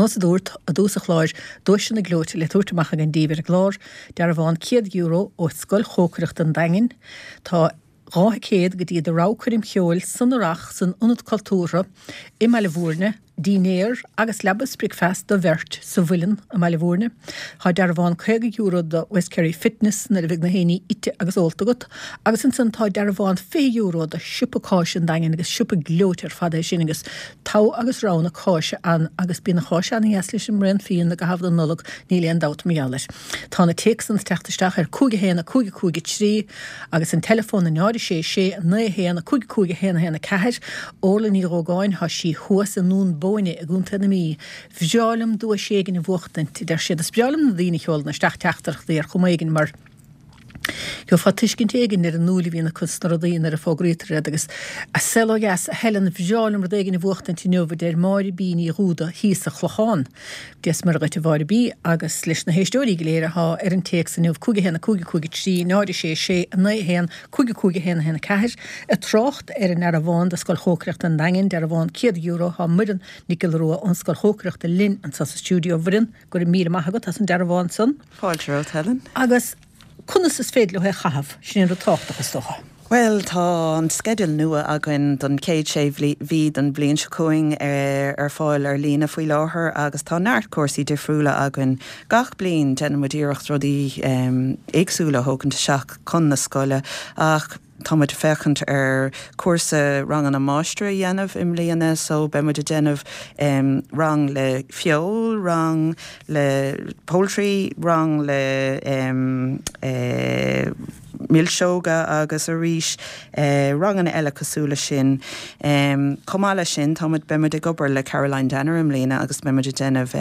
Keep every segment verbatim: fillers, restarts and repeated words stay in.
Nós a dúirt i dtús an chláir, duaiseanna gleoite le tabhairt amach againn daoibh ar an gclár, dearbhán céad euro ó Scoil Chócaireachta an Daingin, tá dhá thicéad go dtí do rogha coirm cheoil san Earrach san Ionad Cultúrtha i mBaile Bhúirne, dinnéar agus leaba is bricfeasta do bheirt sa Mhuileann i mBaile Bhúirne. Tá dearbhán caoga euro do West Kerry Fitness nuair a bheidh na héiní ite agus ólta agat, agus ansan tá dearbhán fiche euro do Siopa Cáise an Daingin agus siopa gleoite ar fad é sin agus togha agus rogha na cáise ann agus bíonn an cháis ana-dheas leis an mbraon fíon i gcaitheamh na Nollag, níl aon dabht mar gheall air. Tá na téacsanna ag teacht isteach ar cúig a haon a cúig a cúig a trí agus an teileafón a náid a sé sé a naoi a haon a cúig a cúig a haon a haon a ceathair. Orla Ní Dhógáin, tá sí thuas i nDún Bóinne i gContae na Mí. Bhreá liom duais éigin a bhuachtaint, a deir siad. Is breá liom na daoine a sheolann isteach teachtaireachtaí ar chuma éigin mar gheofá tuiscint éigin ar an ndúil a bhíonn acu sna rudaí nuair a fógraítear iad agus a saol ó dheas, a Helen, bhreá liom rud éigin a bhuachtaint inniu, a deir Máire B Ní Dhúda thíos sa Chlochán. Dia is Muire dhuit a Mháire B agus leis na héisteoirí go léir athá ar an téacs inniu, cúig a haon a cúig a cúig a trí, náid a sé sé, a naoi a haon, cúig a cúig a haon a haon a ceathair, Ag trácht ar an ndearbhán do Scoil Chócaireachta an Daingin, dearbhán céad euro, tá Muireann Nic Giolla Rua ón Scoil Chócaireachta linn anseo sa stiúideo. A Mhuireann, go raibh míle maith agat as an dearbhán san. Fáilte romhat, Helen. Agus conas is féidir leo é a chaitheamh? Sin an rud tábhachtach, is dócha. Bhuel, tá an sceideal nua againn don chéad sé mhí den bhliain seo chugainn ar fáil ar líne faoi láthair agus tá neart cúrsaí difriúla againn. Gach bliain déanann muid iarracht rudaí éagsúla a thógaint isteach chun na scoile ach tá muid ag féachaint ar cúrsa ranganna máistir a dhéanamh i mbliana so beidh muid ag déanamh rang le feoil, rang le poultry, rang le milseoga agus arís ranganna eile cosúil leis sin. Chomh maith leis sin tá muid, beidh muid ag obair le Caroline Danner i mbliana agus beidh muid ag déanamh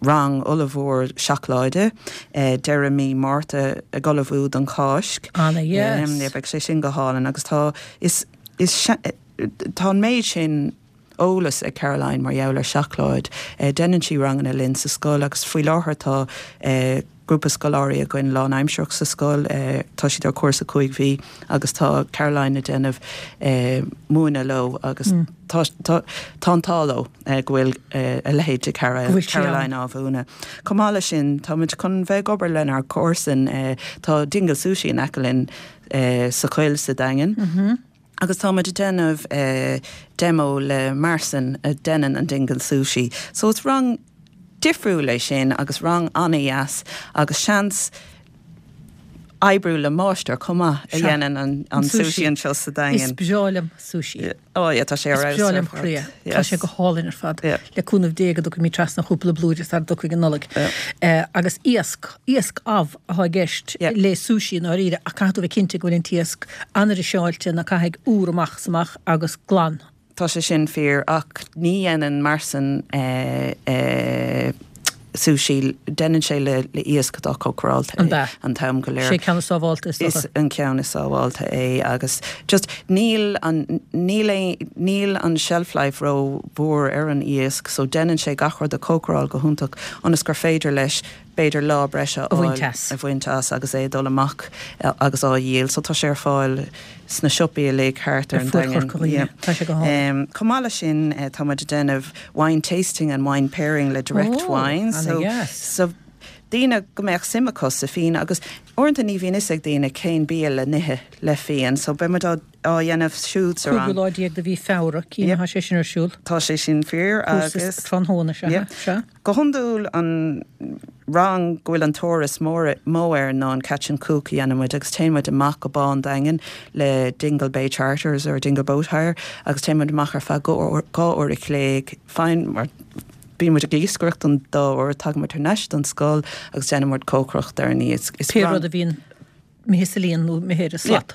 rang ollmhór seacláide deireadh mí Márta ag ullmhú don Cháisc. Ana-dheas. Beidh sé sin go hálainn agus tá, is, is, tá an méid sin eolas ag Caroline mar gheall ar seacláid. Déanann sí ranganna linn sa scoil agus faoi láthair tá grúpa scoláirí againn lánaimsearach sa scoil, tá siad ar chúrsa cúig mhí agus tá Caroline ag déanamh múineadh leo agus tá tá tá an t-ádh leo go bhfuil a leithéid de Caroline á mhúineadh. Chomh maith leis sin, tá muid chun bheith ag obair lenár gcomharsain, tá Dingle Sushi in aice linn sa choill sa Daingean. Agus tá muid ag déanamh demo le Marcin a deineann an Dingle Sushi. So is rang difriúil é sin agus rang an-dheas agus seans oibriú le máistir chomh maith a dhéanann an an sushi anseo sa Daingean. Is breá liom sushi. Oh yeah, tá sé ar fheabhas. Is breá lem chroí é. Tá sé go hálainn ar fad. Le cúnamh Dé go dtiocfaidh mé trasna chúpla blúire sara dtiocfaidh an Nollaig. Agus iasc, iasc amh atá i gceist le sushi i ndáiríre ach caithfidh tú bheith cinnte go bhfuil an t-iasc an-fhriseáilte ná caithfidh úr amach is amach agus glan. Tá sé sin fíor, ach ní dhéanann Marcin sushi, déanann sé le iasc atá cócaráilte an t-am go léir. Sé ceann is sábháilte is dócha. Is an ceann is sábháilte é agus just níl an, níl aon, níl an shelf life ró mhór ar an iasc so déanann sé gach rud a chócaráil go hiontach ionas gur féidir leis b'fhéidir lá breise a fháil, a bhaint as agus é ag dul amach agus á dhíol. So tá sé ar fáil sna siopaí uilig thart ar an Daingean. Tá sé go hálainn. Chomh maith leis sin tá muid ag déanamh wine tasting and wine pairing le Direct Wines. Ó, ana-dheas. So daoine go mbeadh suim acu sa fíon agus uaireanta ní bhíonn fhios ag daoine cén bia le n-ithe le fíon so beidh muid á á dhéanamh siúd sa rang. Cúigiú lá déag de mhí Feabhra, cím, tá sé sin ar siúl. Tá sé sin fíor agus. Tráthnóna, sea, sea. Go hiondúil an rang go bhfuil an tóir is mó air ná an catch and cook a dhéanann muid agus téann muid amach go Bá an Daingin le Dingle Bay Charters or Dingle Boat Hire agus téann muid amach ar feadh dhá uair a chloig, faigheann mar bíonn muid ag iascaireacht don dá uair, tagann muid thar n-ais don scoil agus déanann muid cócaireacht ar an iasc. Pé rud a bhíonn imithe sa líon nó imithe ar an slat.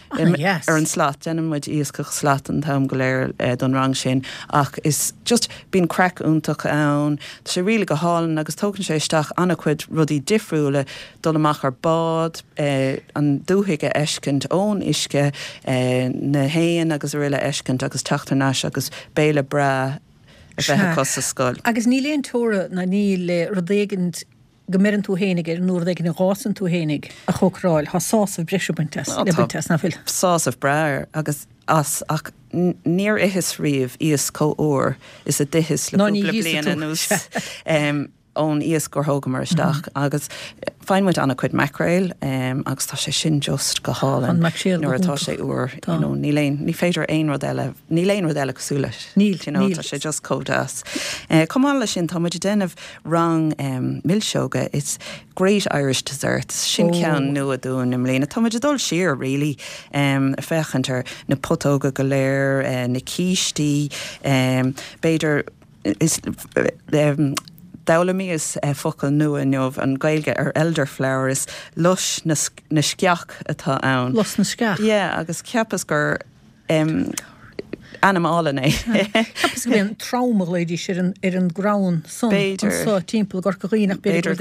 Ana-dheas. Ar an slat. Déanann muid iascach slat an t-am go léir don rang sin ach is just bíonn craic iontach ann, tá sé really go hálainn agus tógann sé isteach an-chuid rudaí difriúla, dul amach ar bád, an dúthaigh a fheiscint ón uisce, na héin agus araile a fheiscint agus teacht thar n-ais agus béile breá a bheith acu sa scoil. Agus níl aon teora ná níl le rud éigin go mbeireann tú fhéinig air nó rud éigin a dh'fhásann tú fhéinig a chócaráil, tá sásamh breise baint as, le baint as, nach bhfuil? Sásamh breá air agus as ach níor itheas riamh iasc chomh úr is a d'itheas le cúpla bliain anuas um, ón iasc gur thógamar isteach mm -hmm. agus faigheann muid an-chuid mackerel um, agus tá sé sin just go hálainn nuair atá sé úr you know, níl aon ní féidir aon rud eile níl aon rud eile cosúil leis Níl you know, tá sé just chomh deas. Uh, Chomh maith leis sin tá muid ag déanamh rang um, milseoga it's Great Irish Desserts sin oh. ceann nua dúinn i mbliana Tá muid ag dul siar really um, féachaint ar na putóga go léir uh, na cístí um, b'fhéidir is um, D'fhoghlaimíos uh, focal nua inniu an Gaeilge ar elderflower is lus na, na sceach atá ann. Lus na sceach. Yeah, agus cheapas gur um, ainm álainn é. Cheapas go bhíonn trom a ghlaoidís ar an ar an gcrann san anseo timpeall Corca Dhuibhne b'fhéidir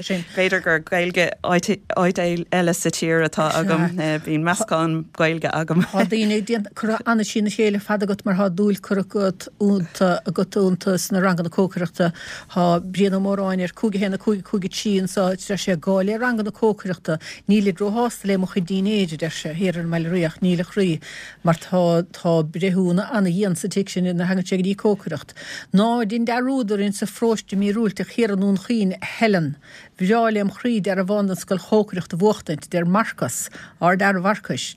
sin. B'fhéidir gur Gaeilge áit eile sa tír atá agam bíonn meascán Gaeilge agam. Tá daoine curtha an-trína chéile fada agat mar tá dúil curtha agat iontu agat iontu sna ranganna cócaireachta. Tá Brian Ó Móráin ar cúig a haon a cúig a cúig a trí anseo deir sé gá le ranganna cócaireachta nílid róshásta le mo chuid dinnéir a deir sé thiar ar an mBaile Riach níl a chroí mar tá tá breithiúna ana-dhian sa tigh sin nuair a thagann sé go dtí cócaireacht. Ná dein dearúd orainn sa pharóiste míorúilteach thiar i nDún Chaoin, a Helen. Bhreá lem chroí dearbhán don scoil chócaireachta a bhuachtaint, deir Marcas, ár d'fhear Mharcais.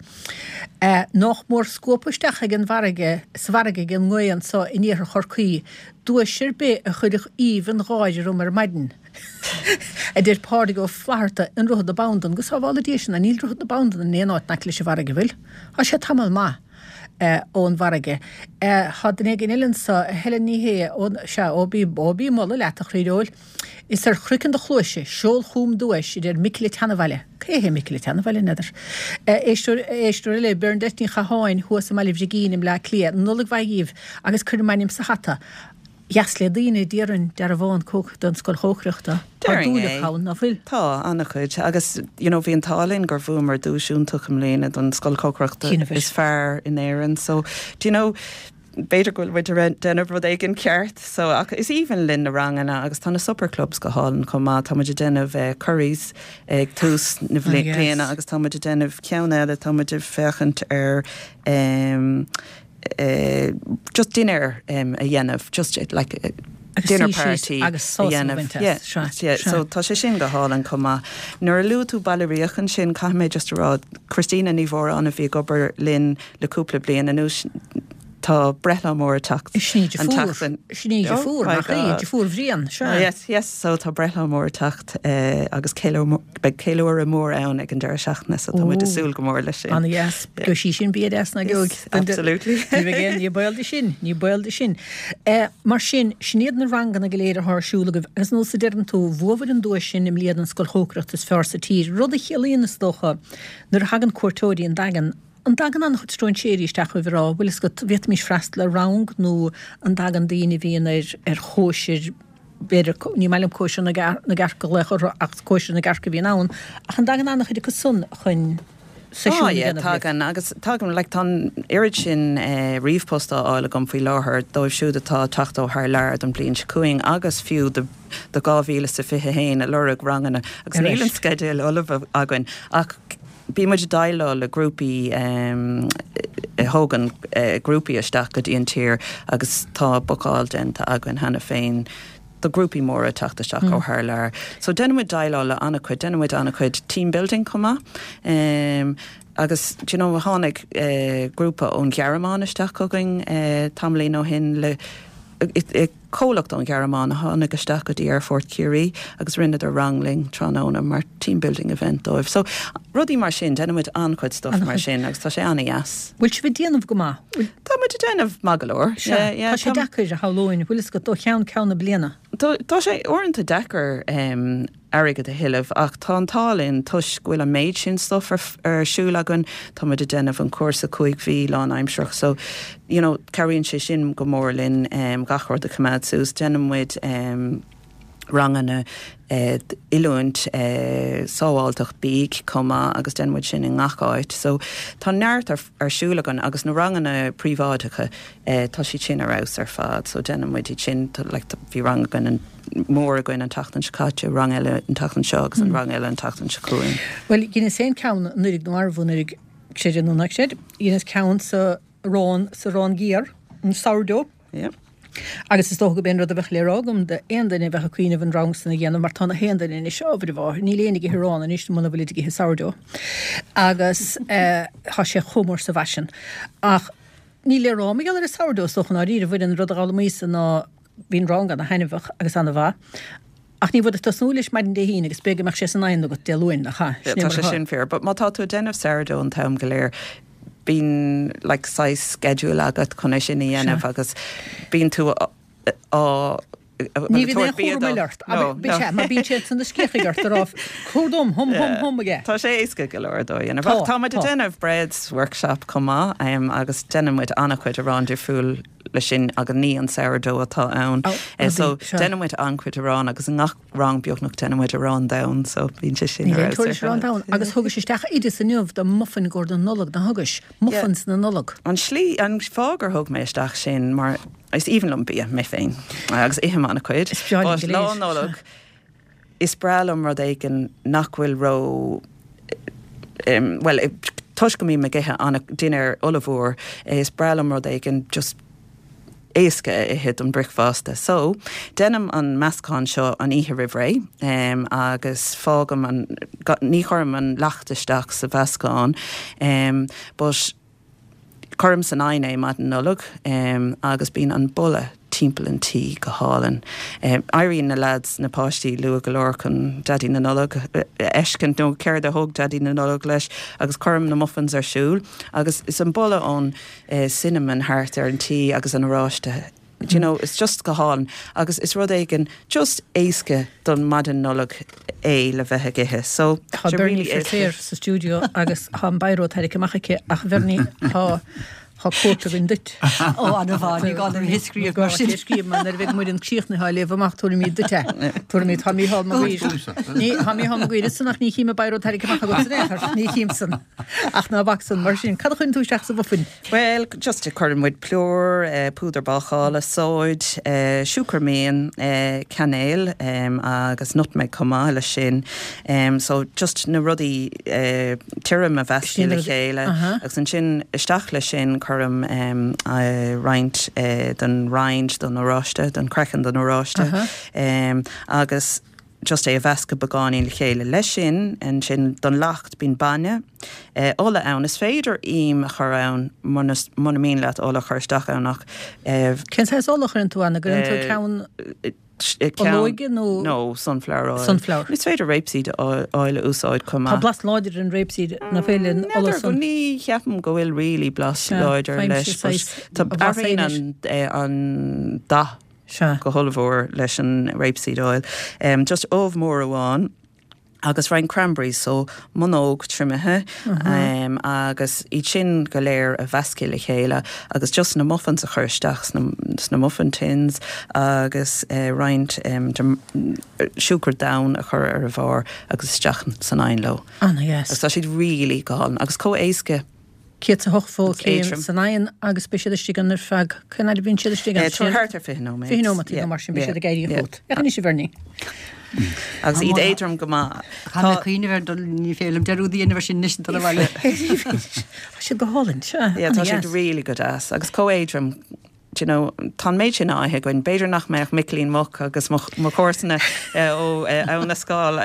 Nách mór scuabtha isteach ag an bhfarraige, sa bhfarraige ag an ngaoth anso in iarthar Chorcaí, duais ar bith a chuirfeadh aoibh an gháire orm ar maidin. a deir Pádraig Ó Flatharta i nDroichead na Bandan, go sábhála Dia sinn, níl Droichead na Bandan in aon áit in aice leis an bhfarraige, bhfuil? Tá sé tamall maith ón bhfarraige. Tá duine éigin eile anso, Helen Ní Shé, ó, sea, ó bí, ó bí moladh leat, a chroí Is ar chraiceann do chluaise, seol chugam duais, a deir Micil a' tSeanabhaile. Cé hé Micil a' tSeanabhaile, n'fheadar. Éisteoir, éisteoir eile, Bernadette Ní Chatháin, thuas i mBaile Bhrigín i mBleá Cliath. Nollaig mhaith dhíbh agus cuir m'ainm sa hata. Dheas le daoine, déarfainn, dearbhán don scoil chócaireachta. Tá Déarfainn dúil é. acu ann, ná fuil? Tá, an-chuid. Agus, you know, bhí an t-ádh linn gur bhuamar duais iontach i mbliana don scoil chócaireachta Cinnte. is fearr in Éirinn. So, do you know, b'fhéidir go bhfuil muid ag déanamh rud éigin ceart. So, ach is aoibhinn linn na ranganna agus tá na supper clubs go hálainn chomh maith. Tá muid ag déanamh eh, curries ag tús na Oh, yes. bliana agus tá muid ag déanamh ceann eile, tá muid ag féachaint ar um, uh, just dinner um, a dhéanamh, just uh, like uh, Agus dinner suí síos party agus sásamh a a bhaint as. Yeah, Sea, yeah, sea. so tá sé sin go hálainn chomh maith. Nuair a luaigh tú Baile Riach ansin caithfidh mé just a rá Christina Ní Mhóráin a bhí ag obair linn le cúpla bliain anuas tá breithlá mór ag teacht. Sin í an deirfiúr. tseachtain. Sin í Oh deirfiúr, my nach í, God. deirfiúr Bhriain, sea. Oh, yes, yes, so tá breithlá mór ag teacht uh, agus beidh ceiliúradh mór ann ag an deireadh seachtaine, so tá muid ag súil go mór leis sin. Ana-dheas, go sí sin bia deas na geog. Yes, absolutely. Ní bheidh aon- ní baol de sin, ní baol de sin. Eh, mar sin, sin iad na ranganna go léir atá ar siúl agaibh, agus nós a deireann tú, bhuabhair an duais sin i mbliana an scoil chócaireachta is fearr sa tír, rud a chiallaíonn is dócha nuair a thagann cuairteoirí an Daingean, an dtagann an-chuid stróinséirí isteach chugaibh ag rá, bhfuil fhios agat, bhféadfaimis freastal ar rang nó an dtagann daoine a bhíonn ar ar chóisir, b'fhéidir, ní maith liom cóisir na gcearc a ghlaoch orthu ach cóisir na gcearc a bhíonn ann, ach an dtagann an-chuid acu san chun seisiún Oh, a yeah, dhéanamh libh? tagann agus tagann like, tá an oiread sin eh, ríomhphost á fháil agam faoi láthair dóibh siúd atá ag teacht ó thar lear don bhliain seo chugainn agus fiú do do dhá mhíle is a fiche haon ag lorg ranganna agus Ar níl an ais. sceideal ullamh againn ach Bíonn muid ag déileáil le grúpaí um, a thógann uh, grúpaí isteach go dtí an tír agus tá bookáil déanta againn cheana féin do grúpaí móra teacht isteach mm. ó thar lear. So déanaimid déileáil le an-chuid, déanaimid an-chuid team building chomh maith. Um, agus do you know, tháinig uh, grúpa ón Ghearmáin isteach chugainn uh, tamaillín ó shin le comhlacht ón Ghearmáin a tháinig isteach go dtí Aerfort Chiarraí agus rinneadar rang linn tráthnóna mar team building event dóibh. So rudaí mar sin déanaimid an-chuid stuff mar sin agus tá sé an-dheas. Bhfuil sibh ag déanamh go maith? Bhfuil- Tá muid ag déanamh maith go leor. Sea, tá sé deacair a shamhlóinn, bhfuil fhios agat ó cheann ceann na bliana. Tá tá sé uaireanta deacair um, airgead a thuilleamh ach tá an t-ádh linn toisc go bhfuil an méid sin stuff ar, ar siúl againn tá muid ag déanamh an cúrsa cúig mhí lánaimsearach so you know, cabhraíonn sé sin go mór linn um, gach rud a choimeád suas déanaimid um, ranganna eh, oiliúint eh, sábháilteacht bídh chomh maith agus déanaimid sin i ngach áit. So tá neart ar, ar siúl againn agus na ranganna príobháideacha eh, tá siad sin ar fheabhas ar fad, so déanaimid iad sin tá- like, tá- bhí rang againn an mór againn an tseachtain seo caite, rang eile an tseachtain seo agus an rang eile an tseachtain seo chugainn. Well, dheineas féin ceann anuraidh nó arbh anuraidh Sé nó nach sé, dheineas ceann sa arán sa arán géar, an sourdough. Yeah. Agus is dócha gurb é an rud a bheadh le rá agam d'aon duine a bheadh ag cuimhneamh an rang san a dhéanamh mar tá na haon duine anois ábhar a mháthair, níl éinne ag ithe arán anois muna bhfuilid ag ithe sourdough. Agus tá sé chomh mór sa bhfaisean. Ach níl le rá mar gheall ar an sourdough is dócha ndáiríre, bhain an rud a d'fhoghlaimíos-sa ná bhí an rang ana-thaitneamhach agus ana-mhaith. Ach ní bheadh ag tosnú leis maidin Dé hAoine agus b'fhéidir go mbeadh sé san oigheann agat Dé Luain, nach ea? Sin é mar Tá sé atá. sin fíor. But má tá tú ag déanamh sourdough an t-am go léir, bíonn like saghas schedule agat chun é sin a dhéanamh agus bíonn tú á Ní bhíonn aon chúram eile ort. Bíonn sé, mar bíonn siad san na sciathchaigh ort a rá cuir dom, hum hum hum aige. Tá sé éasca go leor dó a dhéanamh. Tá, Ach tá muid ag tá. déanamh breads workshop chomh maith agus déanann muid an-chuid arán difriúil leis sin agus ní an sourdough atá ann. Oh, Eh, so sea. déanann muid an-chuid arán agus i ngach rang beagnach déanann muid arán donn, so bíonn sé sin Níl ar aon fheabhas tuairisc ar arán fad. donn. Agus thugais isteach oideas inniu do muffin i gcomhair na Nollag, nach thugais? Muffins na Nollag. An slí, an fáth gur thug mé isteach sin mar is aoibhinn liom bia mé féin agus ithim an-chuid. Is breá linn But go lá léir. Nollag, is breá liom rud éigin nach bhfuil ró um, well, toisc go mbím ag ithe an dinnéar ollmhór, is breá liom rud éigin just éasca a ithe don bricfeasta. So, déanaim an meascán seo an oíche roimh ré um, agus fágaim an ga- ní chuirim an leacht isteach sa mheascán, um, but cuirim san oigheann é maidin Nollag um, agus bíonn an boladh timpeall an tí go hálainn. Um, éiríonn na lads na páistí luath go leor chun Daidí na Nollag a fheiscint nó céard a thóg Daidí na Nollag leis agus cuirim na muffins ar siúl agus is an boladh ón uh, cinnamon thart ar an tí agus an oráiste. Do you know, it's just go hálainn agus is rud éigin just éasca don maidin Nollag é le bheith ag ithe. So Tá sé Bernie really éasca. Feirtéar sa stiúideo agus tá an biro tarraingthe amach aici ach Bernie tá tá cóip againn duit. Ó an-mhaith ní gá dom é scríobh mar sin. Scríobh mar nuair a bheidh muid críochnaithe á léamh amach tabharfaimid duit é. Tabharfaimid tá Mícheál Mac Guaire. Ní tá Mícheál Mac Guaire san ach ní chím an biro tarraingthe amach agat san aon chor, ní chím san. Ach ná bac san mar sin cad a chuireann tú isteach sa mhuffin. Well, just to cuireann muid plúr, uh, púdar bácála, sóid, uh, siúcra mín, uh, cainéal um, agus nutmeg chomh maith leis sin. Um, so just na rudaí uh, tirim a mheascadh Sin le rud- chéile Aha. agus ansin isteach leis sin cuirim um, uh, roinnt uh, den rind don oráiste, don craiceann don oráiste. Aha. Um, agus just é a mheascadh beagáinín le chéile leis sin ansin don leacht bíonn bainne. Uh, ola ann is féidir im a chur ann muna muna mian leat ola chur isteach ann ach uh, Cén saghas ola a chuireann tú ann, an gcuireann tú Eh, ceann ceann- olóige nó No, sunflower oil. Sunflower. Is féidir rapeseed oil oil a úsáid chomh Tá maith. blas láidir an rapeseed na féile an ola N'fheadar go san. ní cheapaim go bhfuil really blas Sea, láidir faighim leis, sé but saghas tá a blas athraíonn éinis. an, eh, an dath Sea. go hollmhór leis an rapeseed oil. Um, just ubh mór amháin agus roinnt cranberries so munóg triomaithe um, agus iad sin go léir a mheascadh le chéile agus just na muffins a chur isteach sna, sna muffin tins agus uh, roinnt um, siúcra donn a chur ar a bharr agus isteach san oigheann leo. Ana yes. Agus tá siad really go hálainn agus chomh éasca Céad a hocht fó Agus céim éadrom. san oigheann agus beidh siad istigh ann ar feadh cén fhad a bhíonn siad istigh Eh, Tá thart ar fiche nóiméad. Fiche nóiméad nó mar sin beidh siad ag éirí chugat. Ach anois a Bhernie. Agus iad éadrom go maith. Tá mé cuimhneamh ar dul ní féidir liom dearúd a dhéanamh sin anois dul abhaile. Tá siad go hálainn. Sea, Yeah, tá ana siad dheas. really go deas agus chomh éadrom do you know, tá méid sin á ithe againn b'fhéidir nach mbeadh Micilín Muc agus mo chomharsana ó Abhainn na Scáil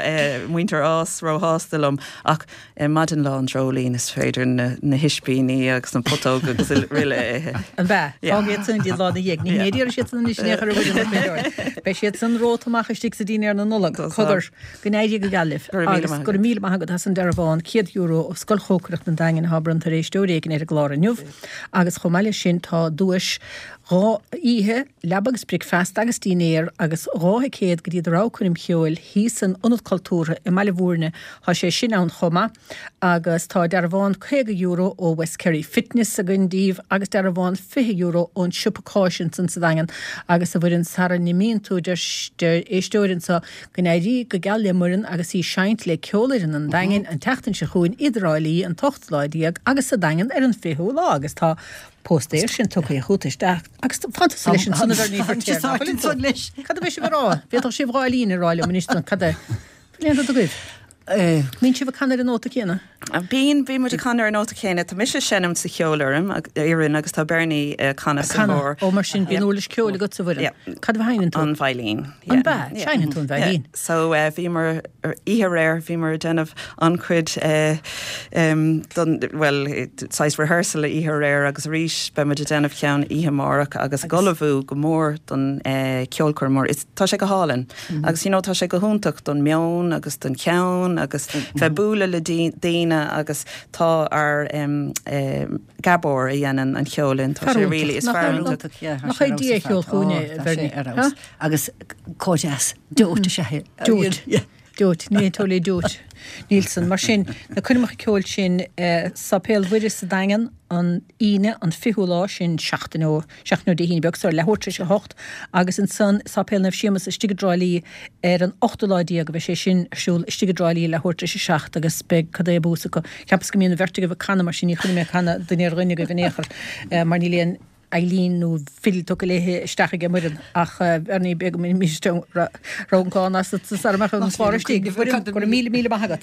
muintir Nás róshásta liom ach maidin lá an dreoilín is féidir na, na hispíní agus na putóg agus rile ithe. An bea Fág san dí lá na dhéag, ní héidir siad san is néchar Beidh siad san romhat amach istigh sa dinnéar na Nollag cogar go n-éirí go geal libh Go raibh míle agus maith go raibh míle maith agat as an dearbhán céad euro ó Scoil Chócaireachta an Daingin atá bronnta ar éisteoir éigin ar an gclár inniu agus chomh maith leis sin tá duais dhá oíche leaba agus bricfeasta agus dinnéar agus dhá thicéad go dtí do rogha coirm cheoil thíos san Ionad Cultúrtha i mBaile Bhúirne tá sé sin ann chomh maith agus tá dearbhán caoga euro ó West Kerry Fitness againn daoibh agus dearbhán fiche euro ón siopa cáis ansan sa Daingean agus a bhfuil sara n-imíonn tú deir éisteoir anseo go n-éirí go geal le Muireann agus í ag seinnt le ceolfhoireann an Daingin an tseachtain seo chugainn i dTrá Lí an t-ochtú lá déag agus sa Daingean ar an fichiú lá agus tá póstaer sin tugtha chugat isteach agus fantas leis an sanna ní San leis. Cad a bheidh sibh a rá? Bhí sibh dhá líne rá liom anois cad é? Léanta do goibh. Níl sibh ag canadh ar an nóta céanna? Bíonn bíonn muid ag canadh ar an nóta céanna tá mise seinm sa cheolfhoireann fhoireann agus tá Bernie uh, canadh sa Canadh. chór. Ó mar sin bíonn uirlis ceoil agat sa bhfoireann. Cad a sheinneann tú? An veidhlín. An bea? Seinneann tú an veidhlín. So uh, bhíomar oíche aréir bhíomar déanamh an-chuid uh, um, don well saghas rehearsal oíche aréir agus arís beimid ag déanamh ceann oíche amárach agus ag ullmhú go mór don uh, ceolchoirm mór. Is- Tá sé go hálainn. Mm -hmm. Agus you know, tá sé go hiontach don meon agus don cheann agus mm -hmm. bheith bualadh le daoine agus tá ár um, um, Gabor a dhéanann an ceol tá sé really is fear Nach é Dia cheol chugainne, Bernie, ha? Agus cóideas dóite sé. Dóit. Dóit, ní tóla dóit. Nílson, mar sin na coirmeacha ceoil sin eh, Sáipéal Mhuire sa Daingean an Aoine an fichiú lá sin seachtain ó seachtain ó Dé hAoine beag seo leathuair tar éis a hocht agus ansan Sáipéal Naomh Séamus istigh i dTrá Lí ar an ochtú lá déag beidh sé sin ar siúl istigh i dTrá Lí leathuair tar éis a seacht agus beidh cad é bús acu. Ceapas go mbíonn an bheirt agaibh ag canadh mar sin ní chuirfidh mé canadh duine ar dhuine agaibh in aon chor eh, mar níl aon veidhlín nó fidil tugtha léi isteach ag Muireann ach ar ní beag mí raibh an cán as sa amach an chlár istigh. Go raibh míle míle maith agat.